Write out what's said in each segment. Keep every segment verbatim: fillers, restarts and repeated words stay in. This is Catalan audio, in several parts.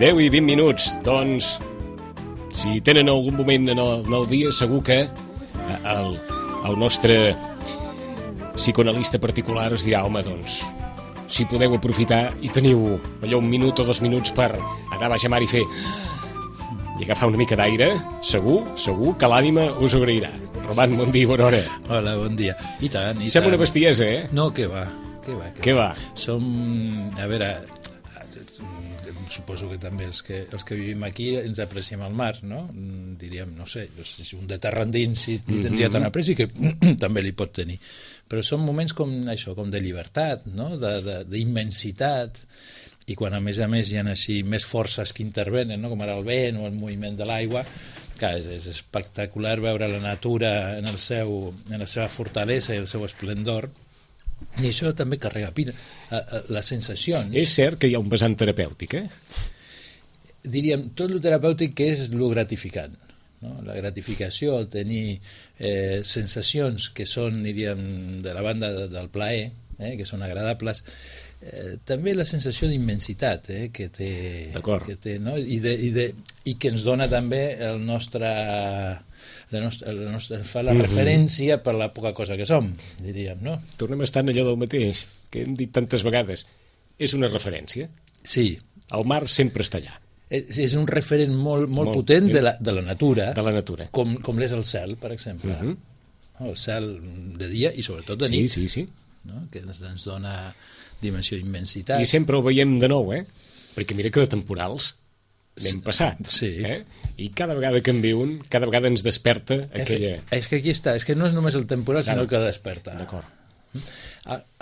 deu i vint minuts. Doncs, si tenen algun moment en el, en el dia, segur que el, el nostre psicoanalista particular us dirà, home, doncs, si podeu aprofitar i teniu allò un minut o dos minuts per anar a baix a mar i fer i agafar una mica d'aire, segur, segur que l'ànima us ho agrairà. Roman, bon dia, bona hora. Hola, bon dia. I tant, i Sembla tant. una bestiesa, eh? No, què va, què va. Què va? Som, a veure, suposo que també els que, els que vivim aquí ens apreciem el mar, no? Diríem, no sé, si un de terra endins si li tindria tant apreci que també li pot tenir. Però són moments com això, com de llibertat, no? De, de, d'immensitat, i quan a més a més hi ha així més forces que intervenen, no? Com ara el vent o el moviment de l'aigua, clar, és, és espectacular veure la natura en, el seu, en la seva fortalesa i el seu esplendor, i això també carrega pila. Les sensacions... És cert que hi ha un vessant terapèutic, eh? Diríem, tot el terapèutic que és el gratificant, no? La gratificació, el tenir eh, sensacions que són, diríem, de la banda de, del plaer, eh, que són agradables, eh, també la sensació d'immensitat eh, que té, que té, no? I, de, i, de, i que ens dona també el nostre... La nostra, la nostra, fa la mm-hmm. referència per la poca cosa que som, diríem, no? Tornem a estar en allò del mateix, que hem dit tantes vegades. És una referència. Sí. El mar sempre està allà. És, és un referent molt, molt, molt potent de la, de la natura. De la natura. Com, com l'és el cel, per exemple. Mm-hmm. El cel de dia i sobretot de nit. Sí, sí, sí. No? Que ens, ens dona dimensió d'immensitat. I sempre ho veiem de nou, eh? Perquè mira que de temporals n'hem passat, sí. eh? I cada vegada que en viu un, cada vegada ens desperta aquella... És que aquí està, és que no és només el temporal, sinó el que desperta. D'acord.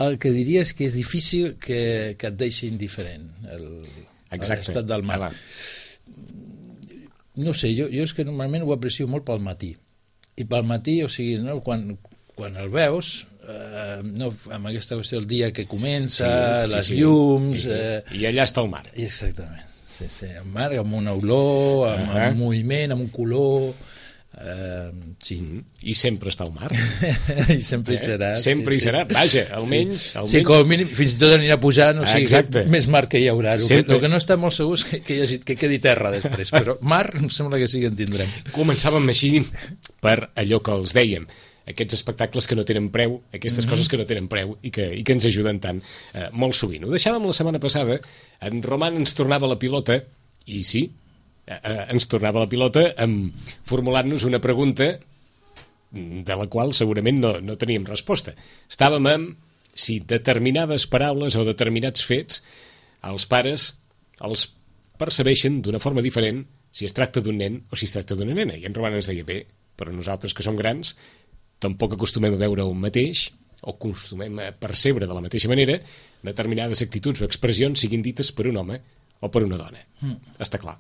El que diria és que és difícil que, que et deixi indiferent el, l'estat del mar. Ah, no sé, jo, jo és que normalment ho aprecio molt pel matí. I pel matí, o sigui, no, quan, quan el veus... Uh, no, amb aquesta qüestió del dia que comença, sí, sí, les sí. llums... I, uh, I allà està el mar. Exactament. Sí, sí, el mar amb una olor, amb, uh -huh. amb un moviment, amb un color... Uh, sí. Mm -hmm. I sempre està al mar. I sempre eh? hi serà. Sempre sí, hi serà. Sí. Vaja, almenys... Sí, almenys... sí, com a mínim, fins i tot anirà pujant, o sigui, exacte. Més mar que hi haurà. El sempre... que no està molt segur és que, que, hi hagi, que quedi terra després, però mar em sembla que sí que en tindrem. Començàvem així per allò que els dèiem, aquests espectacles que no tenen preu, aquestes mm-hmm. coses que no tenen preu i que, i que ens ajuden tant eh, molt sovint. Ho deixàvem la setmana passada, en Roman ens tornava la pilota, i sí, eh, ens tornava la pilota amb, formulant-nos una pregunta de la qual segurament no, no teníem resposta. Estàvem amb si determinades paraules o determinats fets els pares els percebeixen d'una forma diferent si es tracta d'un nen o si es tracta d'una nena. I en Roman ens deia, bé, però nosaltres que som grans tampoc acostumem a veure un mateix o acostumem a percebre de la mateixa manera determinades actituds o expressions siguin dites per un home o per una dona. Mm. Està clar.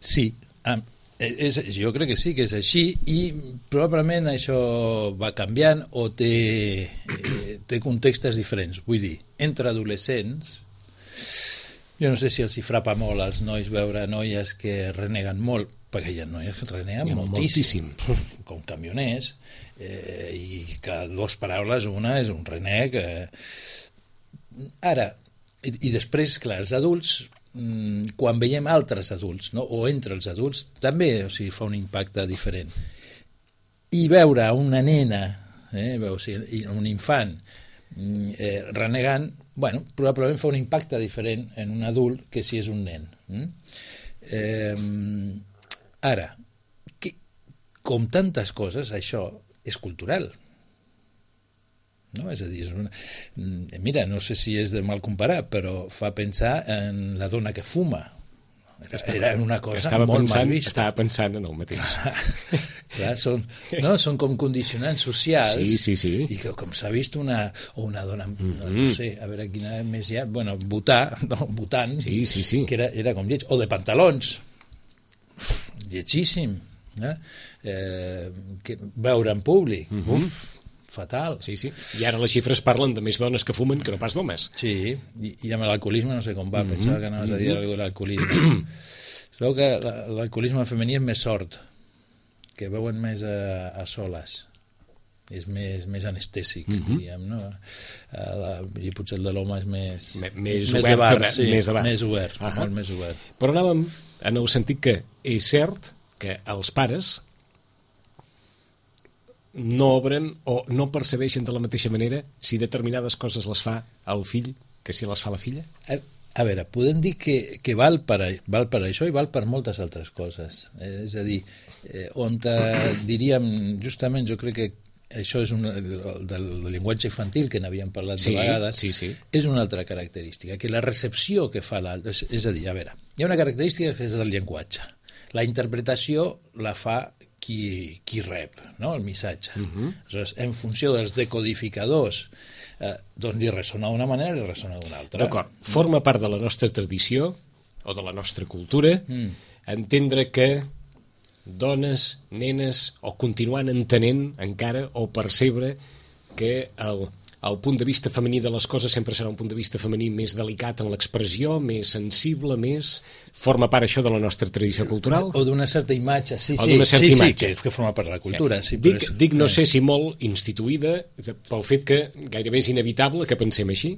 Sí, um, és, jo crec que sí que és així i probablement això va canviant o té, eh, té contextes diferents. Vull dir, entre adolescents, jo no sé si els hi frapa molt als nois veure noies que reneguen molt, perquè hi ha noies que reneguen moltíssim, moltíssim, com camioners, eh, i que dues paraules, una és un reneg. Eh. Ara, i, i després, clar, els adults, quan veiem altres adults, no? O entre els adults, també, o sigui, fa un impacte diferent. I veure una nena, eh, o sigui, un infant eh, renegant, bueno, probablement fa un impacte diferent en un adult que si és un nen. Eh, ara, que, com tantes coses, això és cultural. No? És a dir, és una... mira, no sé si és de mal comparar, però fa pensar en la dona que fuma. Era, estava, era una cosa molt pensant, mal vista. Estava pensant en el mateix. Clar, són, no, són com condicionants socials, sí, sí, sí. I que com s'ha vist una, o una dona, mm-hmm. no sé, a veure quina més hi ha, bueno, votar, no, votant, sí, sí, sí. que era, era com lleig, o de pantalons, uf, lletgíssim, eh? Eh, que, veure en públic, mm-hmm. uf, fatal. Sí, sí. I ara les xifres parlen de més dones que fumen que no pas d'homes. Sí, i, i amb l'alcoholisme no sé com va, mm-hmm. pensava que anaves a dir alguna cosa de l'alcoholisme. Es veu que l'alcoholisme femení és més sort, que veuen més a, a soles. és més, més anestèsic, mm-hmm. diríem, no? La, I potser el de l'home és més... M més, més obert, de bar, més, sí, més de bar. Més obert, uh-huh. molt més obert. Però anàvem en el sentit que és cert que els pares no obren o no percebeixen de la mateixa manera si determinades coses les fa el fill que si les fa la filla? A, a veure, podem dir que, que val, per, val per això i val per moltes altres coses. Eh, és a dir, eh, on eh, diríem, justament jo crec que això és una, del, del llenguatge infantil que n'havíem parlat sí, de vegades, sí, sí. és una altra característica, que la recepció que fa l'altre, és, és a dir, a veure, hi ha una característica que és del llenguatge. La interpretació la fa qui, qui rep, no?, el missatge. Uh-huh. Aleshores, en funció dels decodificadors, eh, doncs li ressona d'una manera i li ressona d'una altra. D'acord. Forma part de la nostra tradició o de la nostra cultura mm. entendre que dones, nenes, o continuant entenent encara, o percebre que el, el punt de vista femení de les coses sempre serà un punt de vista femení més delicat en l'expressió, més sensible, més... Forma part això de la nostra tradició cultural? O d'una certa imatge, sí, o sí, certa sí, imatge. sí, que forma part de la cultura. Sí, dic, és... dic, no sé si molt instituïda pel fet que gairebé és inevitable que pensem així,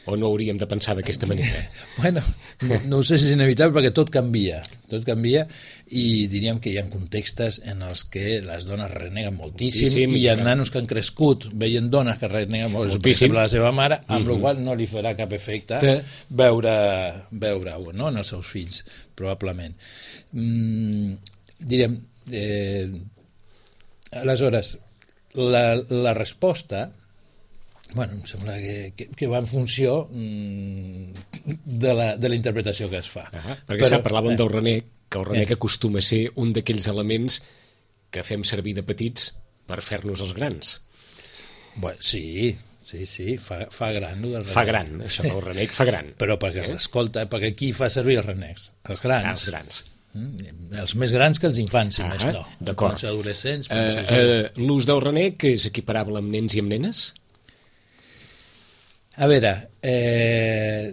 o no hauríem de pensar d'aquesta manera? Bueno, no, no sé si és inevitable perquè tot canvia, tot canvia i diríem que hi ha contextes en els que les dones reneguen moltíssim, moltíssim i hi ha nanos que han crescut veient dones que reneguen moltíssim, per exemple la seva mare, amb mm-hmm. la qual no li farà cap efecte Te... veure, veure-ho, no?, en els seus fills, probablement. Mm, diríem, eh, aleshores, la, la resposta... Bueno, em sembla que, que, que va en funció mm, de, la, de la interpretació que es fa. Uh -huh. Perquè Però, sap, parlàvem eh, del renec, que el renec eh. acostuma a ser un d'aquells elements que fem servir de petits per fer-nos els grans. Bueno, sí, sí, sí, fa, fa gran. Del fa gran, això del renec fa gran. Però perquè eh? s'escolta, perquè qui fa servir els renecs? Els grans. Ah, els grans. Mm, els més grans que els infants, si ah, més no. D'acord. Els adolescents... Uh, uh, L'ús del renec és equiparable amb nens i amb nenes? A veure, eh,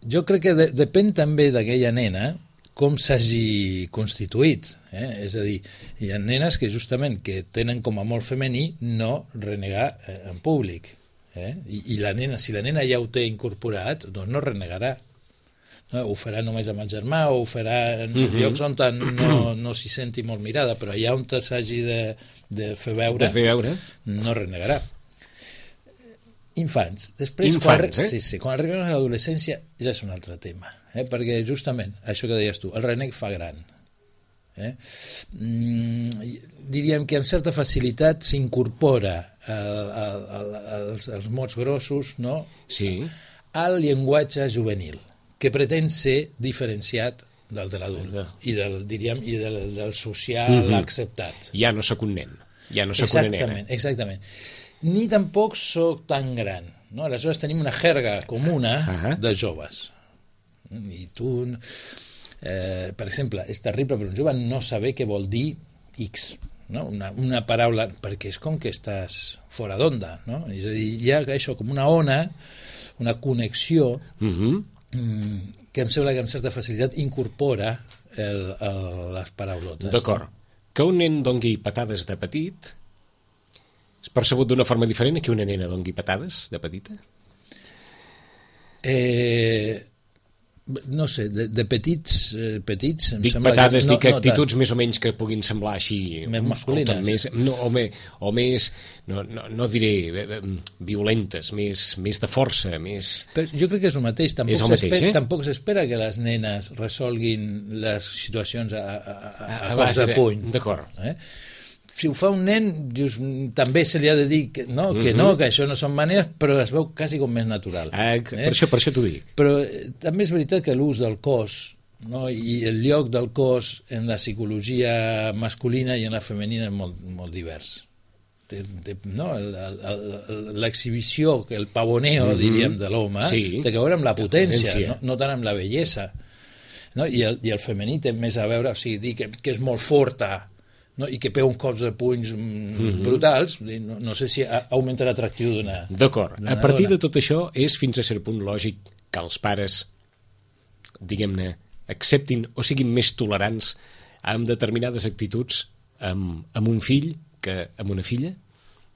jo crec que de, depèn també d'aquella nena com s'hagi constituït. Eh? És a dir, hi ha nenes que justament que tenen com a molt femení no renegar eh, en públic. Eh? I, I la nena, si la nena ja ho té incorporat, doncs no renegarà. No? Ho farà només amb el germà o ho farà en uh-huh. llocs on no, no s'hi senti molt mirada, però allà on s'hagi de, de fer veure, de fer veure no renegarà. Infants. Després, Infants, quan, eh? sí, sí, quan arribem a l'adolescència ja és un altre tema, eh? perquè justament això que deies tu, el renec fa gran. Eh? Mm, diríem que amb certa facilitat s'incorpora els, els mots grossos, no? Sí. Al llenguatge juvenil, que pretén ser diferenciat del de l'adult i del, diríem, i del, del social mm-hmm. acceptat. Ja no sóc un nen, ja no sóc una nena. Exactament, exactament. Ni tampoc sóc tan gran, no? Aleshores tenim una jerga comuna uh-huh. de joves. I tu, eh, per exemple, és terrible per un jove no saber què vol dir X, no? una, una paraula, perquè és com que estàs fora d'onda, no? És a dir, hi ha això com una ona, una connexió uh-huh. que em sembla que amb certa facilitat incorpora el, el, les paraulotes. D'acord. No? Que un nen dongui patades de petit és percebut d'una forma diferent que una nena dongui patades de petita? Eh, no sé, de, de petits, eh, petits em dic sembla patades, que no, dic no actituds tant. Més o menys que puguin semblar així més masculines més, no, o, me, o més no, no, no diré violentes, més, més de força més... Però jo crec que és el mateix tampoc és el mateix, eh? Tampoc s'espera que les nenes resolguin les situacions a, a, a, a, a cops de de puny, d'acord. Eh? Si ho fa un nen, dius, també se li ha de dir que no, que, mm-hmm. no, que això no són maneres, però es veu quasi com més natural. Ah, per, eh? això, per això t'ho dic. Però eh, també és veritat que l'ús del cos, no, i el lloc del cos en la psicologia masculina i en la femenina és molt, molt divers. De, de, no, l'exhibició, el pavoneo, mm-hmm. diríem, de l'home, sí. té que veure amb la potència, no, no tant amb la bellesa. No? I, el, I el femení té més a veure, o sigui, dir que, que és molt forta, no? I que pega uns cops de punys mm-hmm. brutals, no, no sé si augmenta l'atractiu d'una... D'acord. A partir dona. De tot això és fins a cert punt lògic que els pares, diguem-ne, acceptin o siguin més tolerants amb determinades actituds amb, amb un fill que amb una filla?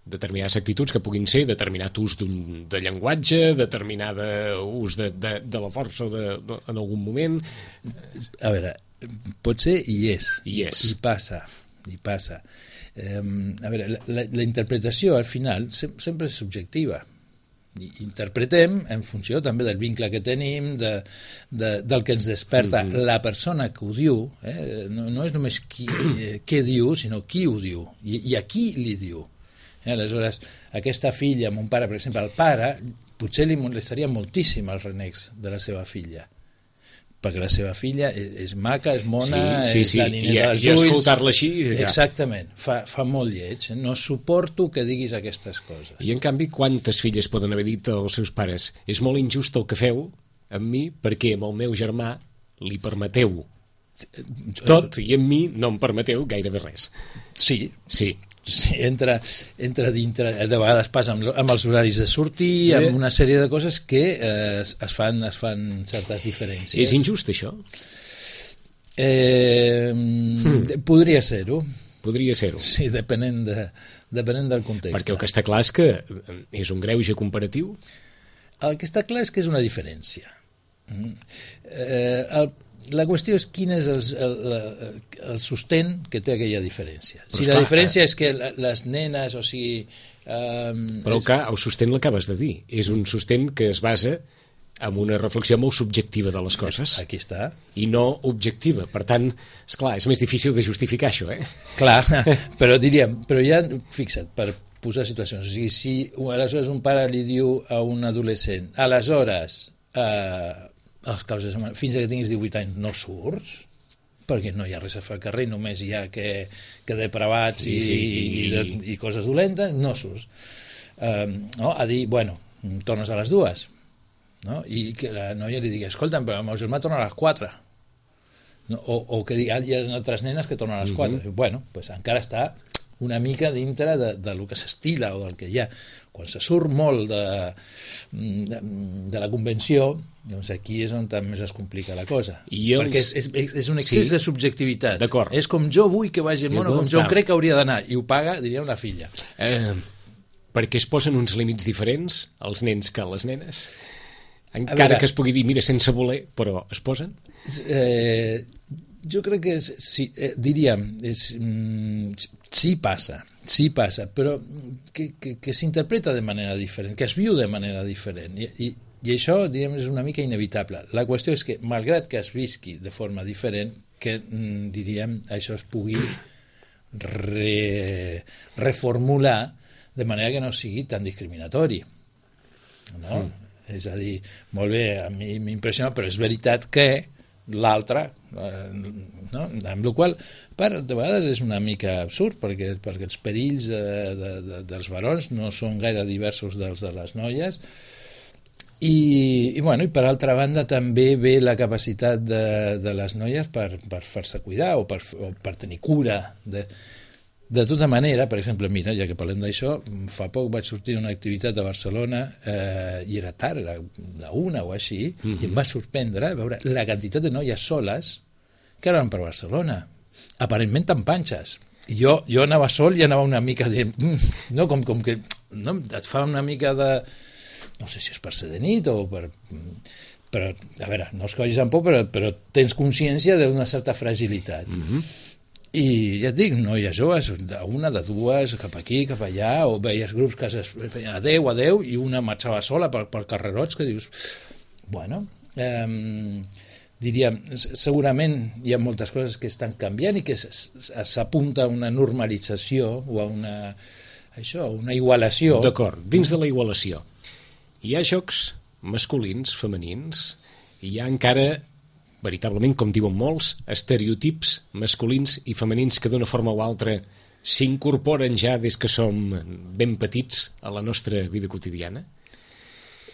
determinades actituds que puguin ser determinat ús d'un, de llenguatge, determinada ús de, de, de la força de, de, en algun moment. A veure, potser hi és, hi, és. i passa, i passa. Eh, a veure, la, la, la interpretació al final sem sempre és subjectiva. I interpretem en funció també del vincle que tenim, de, de, del que ens desperta mm-hmm. la persona que ho diu, eh? no, no és només qui, eh, què diu, sinó qui ho diu, i, i a qui li diu. Eh? Aleshores, aquesta filla, mon pare, per exemple, el pare, potser li molestaria moltíssim els renecs de la seva filla, perquè la seva filla és, és maca, és mona, sí, sí, és sí. la nineta I, dels i ulls. escoltar-la així... Ja. Exactament, fa, fa molt lleig. No suporto que diguis aquestes coses. I en canvi, quantes filles poden haver dit als seus pares és molt injust el que feu amb mi perquè amb el meu germà li permeteu tot i amb mi no em permeteu gairebé res. Sí, sí. Sí, entra, entra dintre, de vegades passa amb, amb els horaris de sortir, amb una sèrie de coses que eh, es, fan, es fan certes diferències. És injust, això? Eh, hmm. Podria ser-ho. Podria ser-ho. Sí, depenent, de, depenent del context. Perquè el que està clar és que és un greuge comparatiu? El que està clar és que és una diferència. Eh, el La qüestió és quin és el, el, el sostén que té aquella diferència. Però si la clar, diferència eh... és que les nenes, o sigui... Um, però és... que el sostén l'acabes de dir. És un sostén que es basa en una reflexió molt subjectiva de les coses. Aquí està. I no objectiva. Per tant, esclar, és més difícil de justificar això, eh? Clar, però diríem, però ja, fixa't, per posar situacions, o sigui, si aleshores un pare li diu a un adolescent, aleshores... Eh, els causes, fins que tinguis divuit anys no surts, perquè no hi ha res a fer al carrer, només hi ha que, que depravats sí, i, sí, i, i, i coses dolentes, no surts. Um, no? A dir, bueno, tornes a les dues, no? I que la noia li digui, escolta'm, però el meu germà torna a les quatre, no? o, o que digui, ah, hi ha altres nenes que tornen a les quatre. Mm-hmm. Bueno, pues encara està una mica dintre de, de lo que s'estila o del que hi ha. Quan se surt molt de, de, de la convenció, doncs aquí és on més es complica la cosa. I els... Perquè és, és, és un excés sí. de subjectivitat. És com jo vull que vagi el món, o com jo crec que hauria d'anar, i ho paga, diria, una filla. Eh, perquè es posen uns límits diferents els nens que les nenes? Encara veure, que es pugui dir, mira, sense voler, però es posen? Eh, jo crec que, és, sí, eh, diríem, és, mm, sí passa, sí passa, però que, que, que s'interpreta de manera diferent, que es viu de manera diferent, i, i, i això, diríem, és una mica inevitable. La qüestió és que, malgrat que es visqui de forma diferent, que, mm, diríem, això es pugui re, reformular de manera que no sigui tan discriminatori, no? Mm. És a dir, molt bé, a mi m'impressiona, però és veritat que l'altre, eh, no? Amb la qual part, de vegades és una mica absurd, perquè, perquè els perills de, de, de, dels barons no són gaire diversos dels de les noies, i, i, bueno, i per altra banda també ve la capacitat de, de les noies per, per fer-se cuidar o per, o per tenir cura de... De tota manera, per exemple, mira, ja que parlem d'això, fa poc vaig sortir d'una activitat a Barcelona eh, i era tard, era la una o així, mm-hmm. i em va sorprendre veure la quantitat de noies soles que anaven per Barcelona, aparentment tan panxes. I jo, jo anava sol i anava una mica de... No, com, com que no, et fa una mica de... No sé si és per ser de nit o per... Però, a veure, no es cogis amb por, però, però tens consciència d'una certa fragilitat. Mm-hmm. I ja et dic, noies joves, una, de dues, cap aquí, cap allà, o veies grups que es feien adeu, adeu, i una marxava sola per, per carrerots, que dius, bueno, eh, diríem, segurament hi ha moltes coses que estan canviant i que s'apunta a una normalització o a una, això, una igualació. D'acord, dins de la igualació hi ha jocs masculins, femenins, i hi ha encara... veritablement, com diuen molts, estereotips masculins i femenins que d'una forma o altra s'incorporen ja des que som ben petits a la nostra vida quotidiana?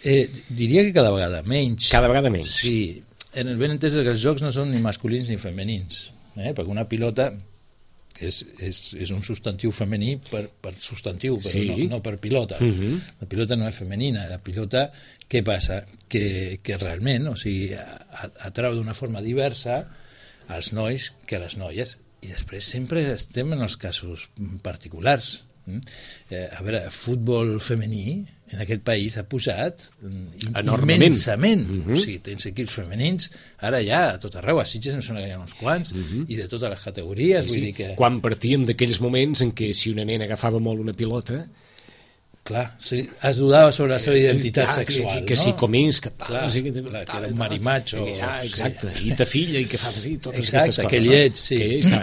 Eh, diria que cada vegada menys. Cada vegada menys. Sí, en el ben entès que els jocs no són ni masculins ni femenins, eh? Perquè una pilota és, és, és un substantiu femení per, per substantiu, però sí. no, no per pilota. Uh-huh. La pilota no és femenina, la pilota, què passa? Que, que realment, o sigui, atrau d'una forma diversa als nois que a les noies, i després sempre estem en els casos particulars, Mm? Eh, a veure, el futbol femení en aquest país ha pujat enormement, immensament. Mm-hmm. O sigui, tens equips femenins, ara ja a tot arreu, a Sitges em sembla que hi ha uns quants, mm-hmm. i de totes les categories. Sí, vull sí. dir que... Quan partíem d'aquells moments en què si una nena agafava molt una pilota... Clar, sí, es dudava sobre la seva identitat clar, sexual, que, que no? si comins, que tal... Clar, sí, que, clar, que era un marimacho. Ah, exacte, sí. I ta filla, i que fa sí, totes exacte, aquestes coses. Que lleig, sí. Que està.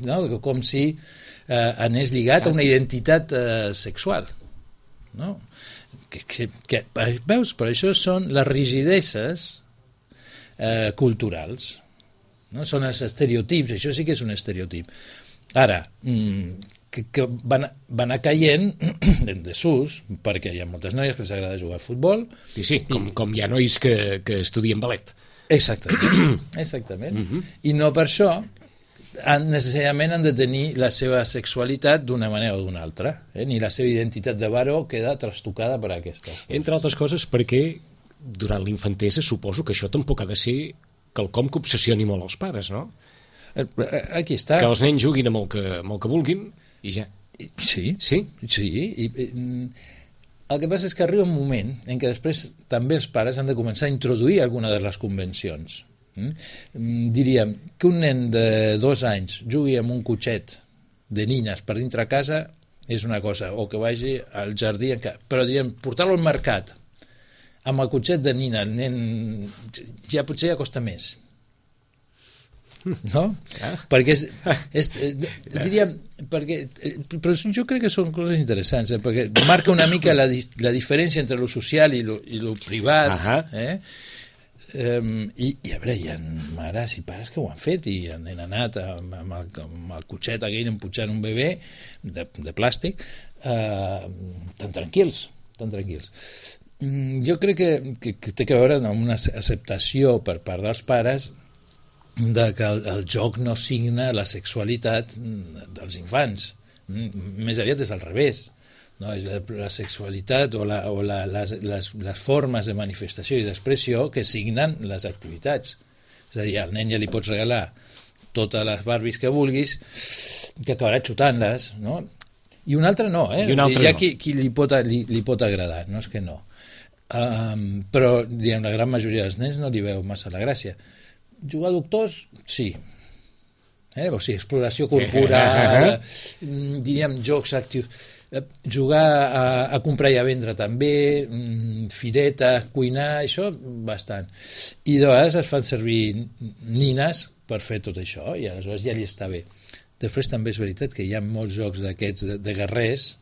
No, com si eh, anés lligat a una identitat eh, sexual. No? Que, que, que, veus, però això són les rigideses eh, culturals. No? Són els estereotips, això sí que és un estereotip. Ara, mm, que, que van, van anar caient en desús, perquè hi ha moltes noies que els agrada jugar a futbol. Sí, sí, com, i... com hi ha nois que, que estudien ballet. Exactament, exactament. Uh-huh. I no per això han, necessàriament han de tenir la seva sexualitat d'una manera o d'una altra, eh? Ni la seva identitat de varó queda trastocada per aquestes coses. Entre altres coses perquè durant l'infantesa suposo que això tampoc ha de ser quelcom que obsessioni molt els pares, no? Aquí està. Que els nens juguin amb el que, amb el que vulguin i ja. Sí, sí, sí. I, i, el que passa és que arriba un moment en què després també els pares han de començar a introduir alguna de les convencions. Mm? Diríem que un nen de dos anys jugui amb un cotxet de nines per dintre a casa és una cosa, o que vagi al jardí, però diríem, portar-lo al mercat amb el cotxet de nina, el nen ja potser ja costa més. No? Ah. Perquè és, és, diríem, perquè, però jo crec que són coses interessants, eh? Perquè marca una mica la, la diferència entre lo social i lo, i lo privat. Eh? Um, i, i a veure, hi ha mares i pares que ho han fet i han, han anat amb, amb, el, amb el cotxet aquell empujant un bebè de, de plàstic uh, tan tranquils, tan tranquils. Um, jo crec que, que, que té a veure amb una acceptació per part dels pares de que el, el joc no signa la sexualitat dels infants. Més aviat és al revés. No? És la, la sexualitat o, la, o la, les, les, les formes de manifestació i d'expressió que signen les activitats. És a dir, al nen ja li pots regalar totes les Barbies que vulguis, que acabarà xutant-les, no? I un altre no, eh? I un altre hi ha no. qui, qui li, pot, li, li pot agradar, no és que no. Um, però, diguem, la gran majoria dels nens no li veu massa la gràcia. Jugar a doctors, sí. Eh? O sigui, exploració corporal, diríem, jocs actius. Jugar a, a comprar i a vendre també, fireta, cuinar, això, bastant. I de vegades es fan servir nines per fer tot això, i aleshores ja li està bé. Després també és veritat que hi ha molts jocs d'aquests de, de guerrers,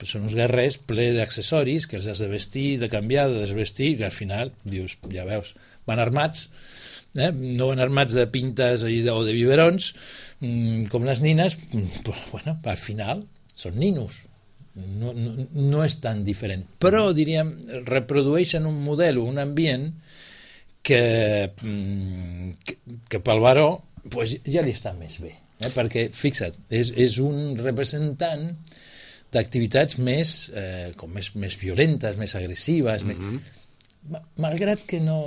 però són uns guerrers ple d'accessoris que els has de vestir, de canviar, de desvestir, i al final, dius, ja veus, van armats, Eh? no van armats de pintes o de biberons mmm, com les nines, però bueno, al final són ninos, no, no, no és tan diferent, però diríem reprodueixen un model o un ambient que, que, que pel varó pues, ja li està més bé, eh? Perquè fixa't, és, és un representant d'activitats més, eh, com més, més violentes, més agressives, mm-hmm. més... malgrat que no,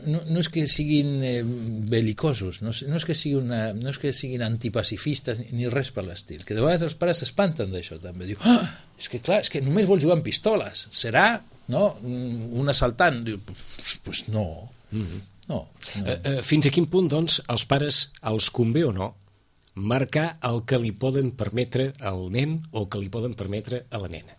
no, no és que siguin eh, belicosos, no, no, és que sigui una, no és que siguin antipacifistes ni, ni res per l'estil, que de vegades els pares s'espanten d'això també, diu, ah, és que clar, és que només vol jugar amb pistoles, serà, no, un assaltant, diu, pues, pues no, mm-hmm. no, no. Uh, uh, fins a quin punt, doncs, els pares els convé o no marcar el que li poden permetre al nen o que li poden permetre a la nena?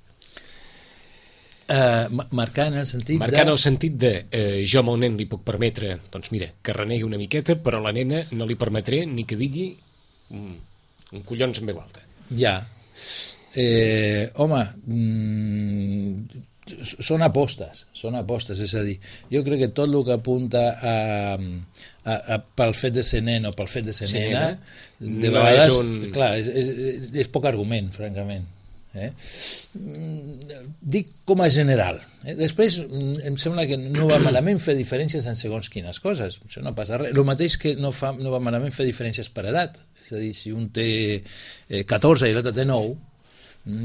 Uh, marcar en el sentit marcar de... en el sentit de eh, jo amb el nen li puc permetre, doncs mira, que renegui una miqueta, però a la nena no li permetré ni que digui mm, un collons en veu alta. Ja. Eh, home, mm, són apostes, són apostes, és a dir, jo crec que tot el que apunta a, a, a, pel fet de ser nen o pel fet de ser sí, nena, de no vegades, és un... clar, és, és, és poc argument, francament. Eh? Dic com a general, eh? Després em sembla que no va malament fer diferències en segons quines coses, això no passa res, el mateix que no, fa, no va malament fer diferències per edat, és a dir, si un té eh, catorze i l'altre té nou,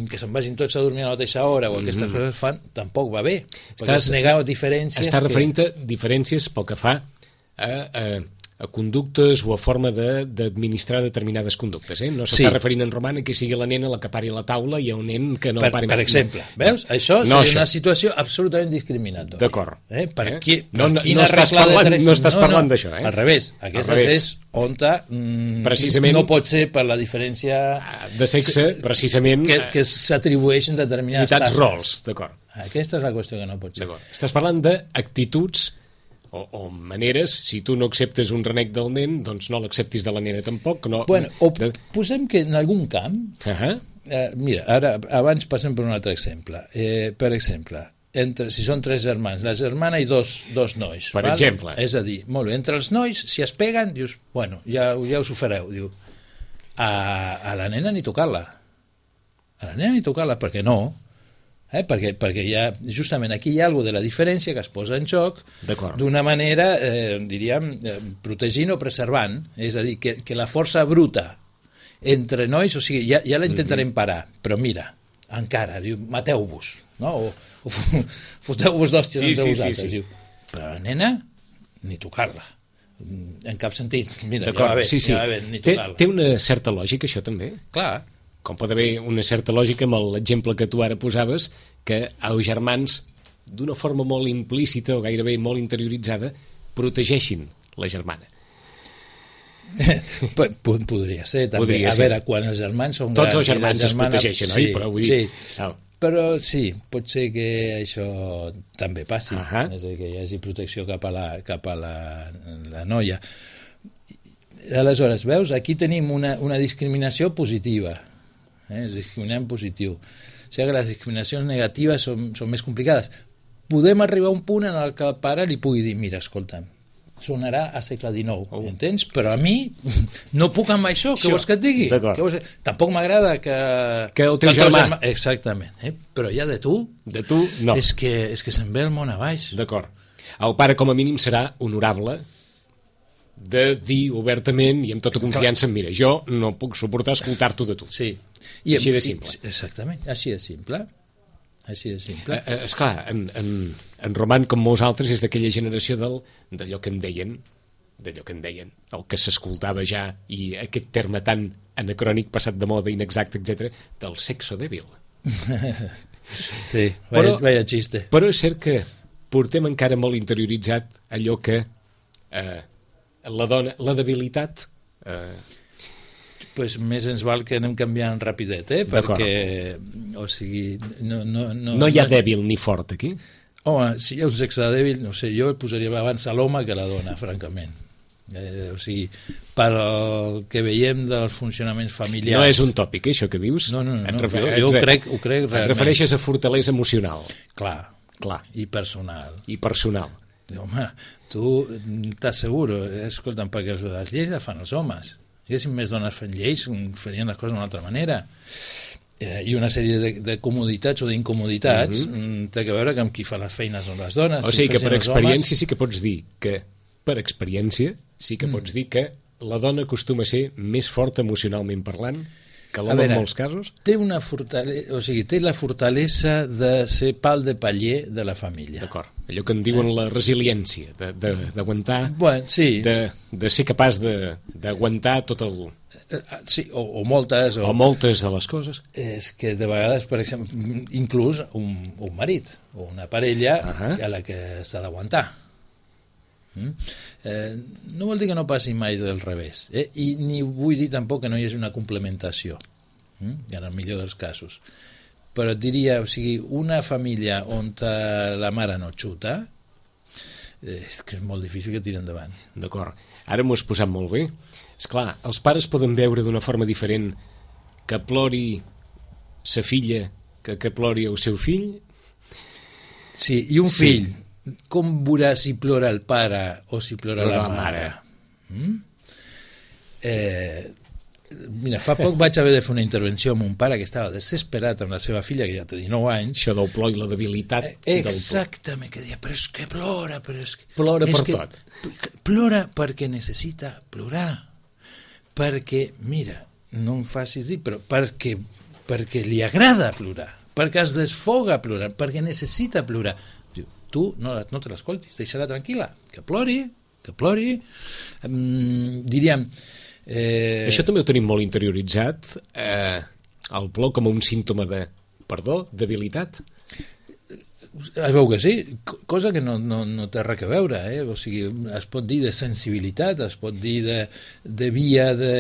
que se'n vagin tots a dormir a la mateixa hora o aquestes mm-hmm. coses fan, tampoc va bé, perquè estàs, es negar diferències... Estàs que... referint a diferències pel que fa a, a, a conductes o a forma de- d'administrar determinades conductes. Eh? No s'està Sí. referint en Roman a que sigui la nena la que pari la taula i un nen que no per, pari per mai. exemple, veus? Això No, seria això. una situació absolutament discriminatòria. D'acord. Eh? Per Eh? qui, No, per no, quina no estàs regla de parlant- tres- no estàs parlant d'això, eh? Al revés. Aquesta revés. és on mm, Precisament- no pot ser per la diferència De sexe, precisament, que, que s'atribueixen determinades unitats tasques. rols, d'acord. Aquesta és la qüestió que no pot ser. D'acord. Estàs parlant d'actituds o, o maneres, si tu no acceptes un renec del nen, doncs no l'acceptis de la nena tampoc. No, Bueno, o de... posem que en algun camp, uh -huh. eh, mira, ara abans passem per un altre exemple. Eh, per exemple, entre, si són tres germans, la germana i dos, dos nois. Per val? exemple. És a dir, molt bé, entre els nois, si es peguen, dius, bueno, ja, ja us ho fareu, diu, a, a la nena ni tocar-la. A la nena ni tocar-la, perquè no, eh? perquè, perquè hi ha, justament aquí hi ha alguna de la diferència que es posa en joc D'acord. d'una manera, eh, diríem, eh, protegint o preservant, és a dir, que, que la força bruta entre nois, o sigui, ja, ja la intentarem parar, però mira, encara, diu, mateu-vos, no? o, o foteu-vos d'hòsties Sí, entre sí, vosaltres, sí, sí. diu, però la nena, ni tocar-la, en cap sentit, mira, ja D'acord, va bé, sí, sí. ja va bé, ni Té, tocar-la. té una certa lògica, això també? Clar, Com pot haver una certa lògica amb l'exemple que tu ara posaves, que els germans, d'una forma molt implícita o gairebé molt interioritzada, protegeixin la germana. P- podria ser també. Podria a ser. veure, quan els germans són Tots grans els i la germans es germana- protegeixen, oi? Però vull dir- sí. Ah. Però sí, pot ser que això també passi, Ahà. és a dir, que hi hagi protecció cap a la, cap a la, la noia. Aleshores, veus, aquí tenim una, una discriminació positiva, eh? És discriminar en positiu. O sigui que les discriminacions negatives són, són més complicades. Podem arribar a un punt en el que el pare li pugui dir, mira, escolta'm, sonarà a segle dinou, Oh. entens? Però a mi no puc amb això, què Això, vols que et digui? d'acord. Què vols que... Tampoc m'agrada que... Que el teu que germà- Exactament, eh? Però ja de tu, De tu, no. és que, és que se'n ve el món a baix. D'acord. El pare, com a mínim, serà honorable de dir obertament i amb tota confiança, mira, jo no puc suportar escoltar-t'ho de tu. Sí. Així de simple. I, exactament, així de simple. Així de simple. Eh, eh, esclar, en, en, en Roman, com molts altres, és d'aquella generació del, d'allò que en deien, d'allò que en deien, el que s'escoltava ja, i aquest terme tan anacrònic, passat de moda, inexacte, etcètera, del sexo dèbil. Sí, Però- vaya, vaya xiste. Però és cert que portem encara molt interioritzat allò que eh, la dona, la debilitat... Eh, Pues més ens val que anem canviant rapidet, eh? D'acord. Perquè, o sigui, no... No, no, no hi ha dèbil ni fort aquí. Home, si hi ha un sexe dèbil, no sé, jo el posaria abans a l'home que a la dona, francament. Eh, o sigui, pel que veiem dels funcionaments familiars... No és un tòpic, eh, això que dius? No, no, no, Et no, refer- jo- jo et ho re- crec- ho crec Et realment. refereixes a fortalesa emocional. Clar, Clar. i personal. I personal. Home, tu t'asseguro, escolta'm, perquè les lleis les fan els homes. Si haguessin més dones fent lleis, farien les coses d'una altra manera. Eh, I una sèrie de, de comoditats o d'incomoditats mm -hmm. té a veure que amb qui fa les feines són les dones. O si sigui que fessin per els experiència sí que pots dir que, per experiència, sí que pots dir que la dona acostuma a ser més forta emocionalment parlant que A l'home veure, en molts casos. Té una fortalesa, o sigui, té la fortalesa de ser pal de paller de la família. D'acord. Allò que en diuen la resiliència, de- de- d'aguantar, Bueno, sí, de, de ser capaç de- d'aguantar tot el... eh, sí o, o moltes, o, o moltes de les coses. és que de vegades, per exemple, inclús un, un marit o una parella Ahà. a la que s'ha d'aguantar. Mm? Eh, no vol dir que no passi mai del revés, eh? I ni vull dir tampoc que no hi hagi una complementació, mm? en el millor dels casos. Però et diria, o sigui, una família on la mare no xuta, eh, és que és molt difícil que tiri endavant. D'acord. Ara m'ho has posat molt bé. És clar, els pares poden veure d'una forma diferent que plori sa filla que que plori el seu fill. Sí, i un Sí. fill, com veurà si plora el pare o si plora Plora la la mare? mare. Mm? Eh, mira, fa poc vaig haver de fer una intervenció amb un pare que estava desesperat amb la seva filla, que ja té dinou anys. Això del plor i la debilitat Eh, del tot. Exactament, que deia, però és que plora, però és que... Plora és per que tot. p- Plora perquè necessita plorar. Perquè, mira, no em facis dir, però perquè, perquè li agrada plorar, perquè es desfoga plorant, perquè necessita plorar. Diu, tu no, la- no te l'escoltis, deixa-la tranquil·la, que plori, que plori. Um, diríem... Eh... Això també ho tenim molt interioritzat, eh, el plor com un símptoma de, perdó, debilitat. Es veu que sí, cosa que no, no, no té res a veure, eh? O sigui, es pot dir de sensibilitat, es pot dir de, de via de,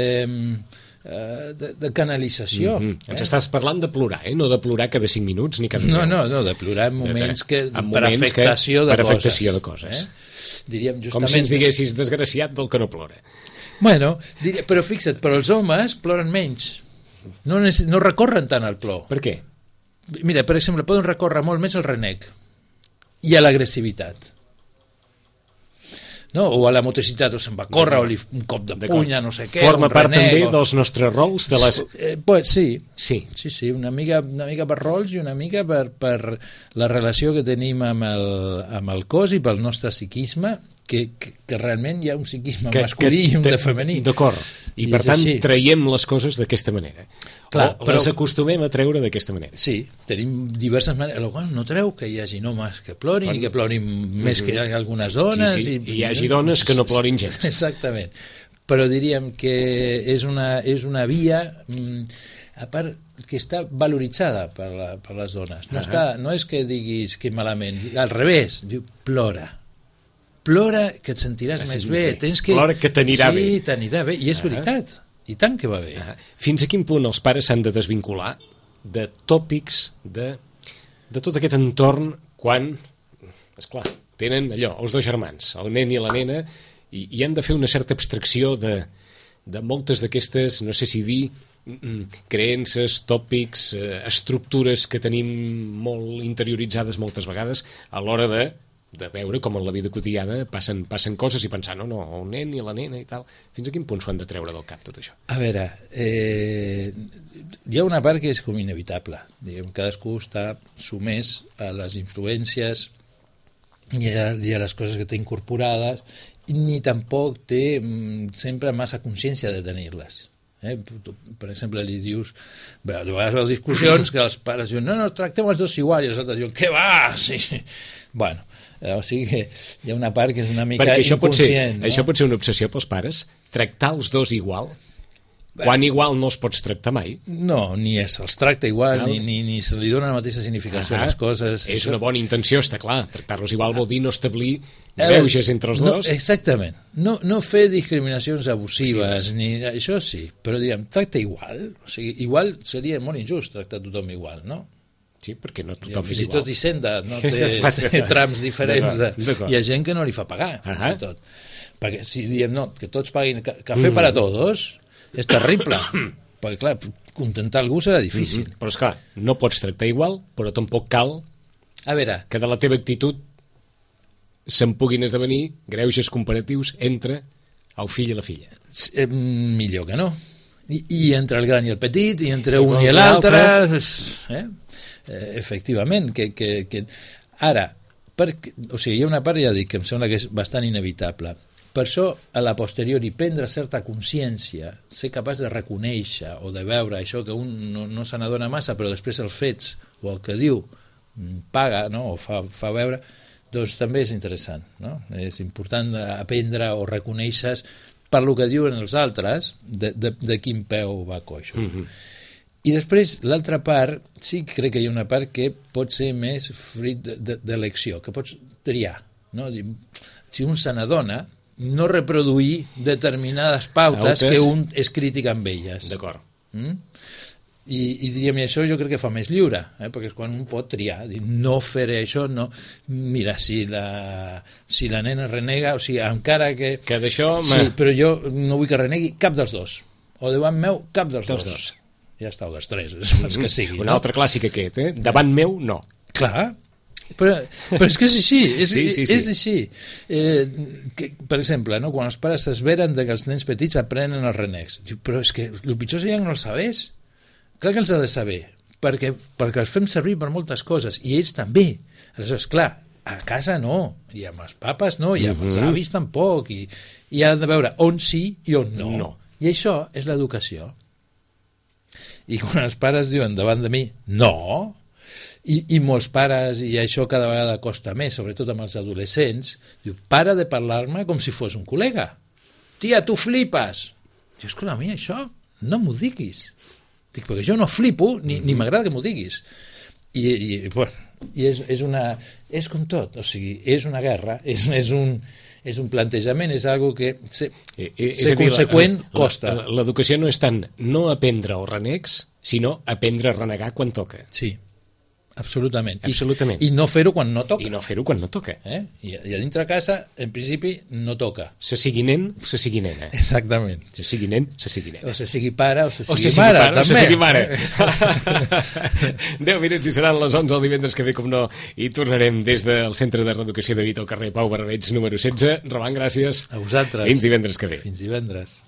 de, de canalització. Mm-hmm. eh? Ens estàs parlant de plorar, eh? No de plorar cada cinc minuts ni cada no, no, no, de plorar en moments, que, en per moments afectació, que, de, per coses, afectació de coses. Eh? Diríem justament... Com si ens diguessis desgraciat del que no plora. Bueno, diria, però fixa't, però els homes ploren menys. No, no recorren tant al plor. Per què? Mira, per exemple, poden recórrer molt més al renec i a l'agressivitat. No? O a la motricitat, o se'n va córrer, o li, un cop de puny, no sé què. Forma part renec, també o... dels nostres rols? De les... eh, pues, sí, sí, sí, sí una, mica, una mica per rols i una mica per, per la relació que tenim amb el, amb el cos i pel nostre psiquisme, que, que, que realment hi ha un psiquisme que, masculí que, i un de femení. D'acord, i, I per tant així. Traiem les coses d'aquesta manera. Clar, o però... les acostumem a treure d'aquesta manera. Sí, tenim diverses maneres. Bueno, no treu que hi hagi homes que plorin bueno, i que plorin mm-hmm. més que algunes dones. Sí, sí. I, I hi hagi dones que no plorin gens. Exactament. Però diríem que és una, és una via... Mm, a part que està valoritzada per, la, per les dones. No, uh-huh. està, no és que diguis que malament, al revés, diu plora. Plora que et sentiràs ah, més bé. bé. Tens que... Plora que t'anirà sí, bé. Sí, t'anirà bé. I és uh-huh. veritat. I tant que va bé. Uh-huh. Fins a quin punt els pares s'han de desvincular de tòpics de, de tot aquest entorn quan, esclar, tenen allò, els dos germans, el nen i la nena, i, i han de fer una certa abstracció de, de moltes d'aquestes, no sé si dir, creences, tòpics, eh, estructures que tenim molt interioritzades moltes vegades a l'hora de de veure com en la vida quotidiana passen, passen coses i pensar, no, no, el nen i la nena i tal. Fins a quin punt s'ho han de treure del cap tot això? A veure, eh, hi ha una part que és com inevitable. Diguem, cadascú està sumès a les influències i a, i a les coses que té incorporades, ni tampoc té mm, sempre massa consciència de tenir-les. Eh? Per exemple, li dius, bé, a vegades veus discussions que els pares diuen, no, no, tractem els dos igual, i els altres diuen, què va? Sí. Bueno, o sigui que hi ha una part que és una mica perquè això inconscient. Pot ser, no? Això pot ser una obsessió pels pares, tractar els dos igual, quan igual no els pots tractar mai. No, ni se'ls tracta igual, ni, ni, ni se li dona la mateixa significació a les coses. És una bona intenció, està clar. Tractar-los igual vol dir no establir greuges entre els no, dos. Exactament. No, no fer discriminacions abusives, sí, ni això sí, però diguem, tracta igual. O sigui, igual seria molt injust tractar tothom igual, no? Sí, perquè no tothom és igual. Fins i tot Hisenda no té, té trams diferents. De, hi ha gent que no li fa pagar, fins i tot. Perquè si diem, no, que tots paguin cafè mm. per a tots, és terrible. Perquè, clar, contentar algú serà difícil. Mm-hmm. Però, esclar, no pots tractar igual, però tampoc cal a veure, que de la teva actitud se'n puguin esdevenir greuges comparatius entre el fill i la filla. Eh, millor que no. I, i entre el gran i el petit, i entre un i l'altre... Eh? Eh, efectivament que, que, que... ara per... o sigui, hi ha una part, ja dic, que em sembla que és bastant inevitable. Per això, a la posteriori, prendre certa consciència, ser capaç de reconèixer o de veure això que un no, no se n'adona massa, però després els fets o el que diu paga, no? O fa, fa veure, doncs també és interessant, no? És important aprendre o reconèixer per lo que diuen els altres de, de, de quin peu va coixo. Mm-hmm. I després, l'altra part, sí que crec que hi ha una part que pot ser més fruit d'elecció, que pots triar. No? Si un se n'adona, no reproduir determinades pautes Autes. que un és crític amb elles. D'acord. Mm? I, i diríem, això jo crec que fa més lliure, eh? Perquè és quan un pot triar, dir, no faré això, no... Mira, si la, si la nena renega, o sigui, encara que... Que d'això... Sí, però jo no vull que renegui cap dels dos. O davant meu, cap dels, dels dos. dos. Ja està, o dels tres, els que sigui. Un no? altre clàssic aquest, eh? Davant meu, no. Clar, però, però és que és així, és, sí, sí, sí. és així. Eh, que, per exemple, no? Quan els pares s'esveren que els nens petits aprenen els renecs, diu, però és que el pitjor seria que no els sabés. Clar que els ha de saber, perquè, perquè els fem servir per moltes coses, i ells també. Aleshores, clar, a casa no, i amb els papes no, i amb uh-huh. els avis tampoc, i, i ha de veure on sí i on no. no. I això és l'educació. I quan els pares diuen davant de mi no, I, i molts pares, i això cada vegada costa més, sobretot amb els adolescents, diu, para de parlar-me com si fos un col·lega. Tia, tu flipes! Diu, escolta, a mi això no m'ho diguis. Dic, perquè jo no flipo, ni, ni m'agrada que m'ho diguis. I, i, bueno, i és, és una... És com tot, o sigui, és una guerra, és, és un... és un plantejament, és algo que ser, eh, eh, ser conseqüent la, costa. L'educació no és tant no aprendre els renecs, sinó aprendre a renegar quan toca. Sí, absolutament. absolutament. I, i no fer-ho quan no toca. I no fer-ho quan no toca. Eh? I, I a dintre casa, en principi, no toca. Se sigui nen, se sigui nena. Exactament. Se sigui nen, se sigui nena. O se sigui pare, o se sigui, o se sigui mare, pare, també. O se sigui mare. deu minuts i seran les onze el divendres que ve, com no, i tornarem des del Centre de Reeducació de Vita al carrer Pau Barbeig, número setze. Roman, gràcies. A vosaltres. Fins divendres que ve. Fins divendres.